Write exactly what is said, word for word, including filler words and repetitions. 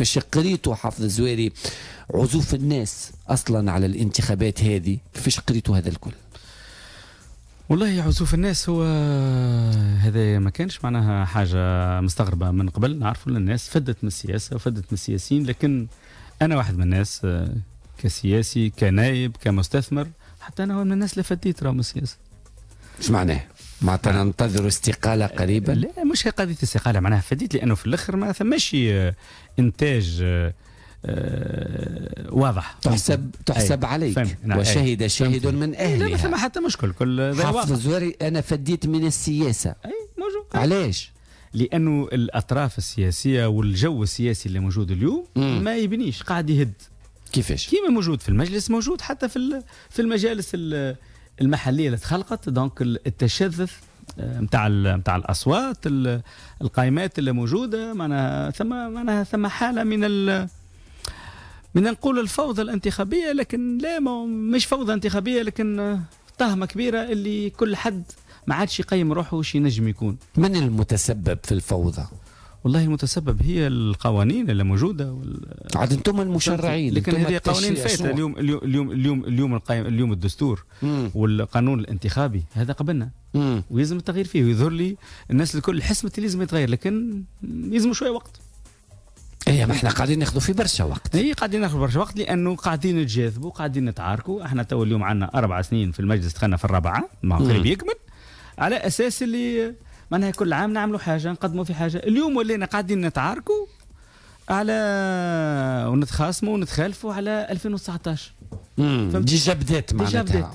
كيفاش قريتوا حافظ الزواري عزوف الناس اصلا على الانتخابات هذه؟ كيفاش قريتوا هذا الكل؟ والله عزوف الناس هو هذا ما كانش معناها حاجة مستغربه من قبل. نعرفوا الناس فدت من السياسة وفدت من السياسيين، لكن انا واحد من الناس كسياسي، كنايب، كمستثمر، حتى انا من الناس اللي فديت راهو من السياسة. ايش معناه؟ معناتها ننتظر استقالة قريبا؟ لا، مش قضية استقاله، معناها فديت لانه في الاخر ما ثماش انتاج آه واضح. تحسب تحسب عليك. نعم. وشهد شاهد من اهلها. لا، ما ثم حتى مشكل. كل حافظ الزواري انا فديت من السياسه. اي موجود. علاش؟ لانه الاطراف السياسية والجو السياسي اللي موجود اليوم مم. ما يبنيش، قاعد يهد. كيفاش؟ كيما موجود في المجلس موجود حتى في في المجالس المحلية اللي تخلقت. donc التشظي نتاع نتاع الاصوات، القائمات اللي موجوده، معناها ثم معناها ثم حاله من ال من نقول الفوضى الانتخابيه، لكن لا، مش فوضى انتخابيه، لكن تهمه كبيرة اللي كل حد ما عادش يقيم روحه وش ينجم يكون. من المتسبب في الفوضى؟ والله المتسبب هي القوانين اللي موجودة وال... عاد انتم المشرعين. لكن هذه قوانين فاتت. اليوم اليوم اليوم اليوم اليوم القائم اليوم الدستور مم. والقانون الانتخابي هذا قبلنا مم. ويلزم التغيير فيه، ويظهر لي الناس الكل حسمت اللي لازم يتغير، لكن يلزم شوية وقت. ايه، ما احنا قاعدين ناخذوا في برشا وقت. اي، قاعدين ناخذوا برشا وقت لانه قاعدين نتجاذبوا، قاعدين نتعاركوا. احنا تو اليوم عندنا اربع سنين في المجلس، دخلنا في الرابعه، ما قريب يكمل، على اساس اللي معناها كل عام نعملوا حاجه، نقدموا في حاجه. اليوم ولينا قاعدين نتعاركوا على ونتخاصموا ونتخالفوا على ألفين وتسعطاش. déjà بدات معناتها.